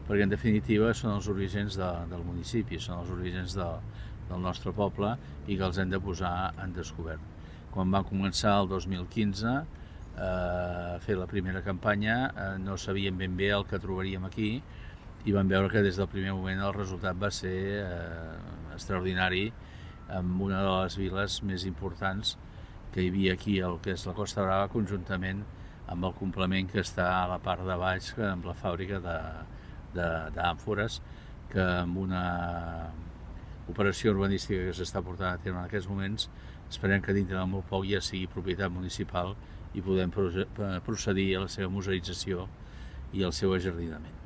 perquè en definitiva són els orígens del municipi, són els orígens del nostre poble i que els hem de posar en descobert. Quan va començar el 2015 a fer la primera campanya no sabíem ben bé el que trobaríem aquí i vam veure que des del primer moment el resultat va ser extraordinari amb una de les viles més importants que hi havia aquí, el que és la Costa Brava, conjuntament amb el complement que està a la part de baix, amb la fàbrica d'àmfores, que amb una operació urbanística que s'està portant a terme en aquests moments, esperem que dintre de molt poc ja sigui propietat municipal i podem procedir a la seva museïtzació i al seu ajardinament.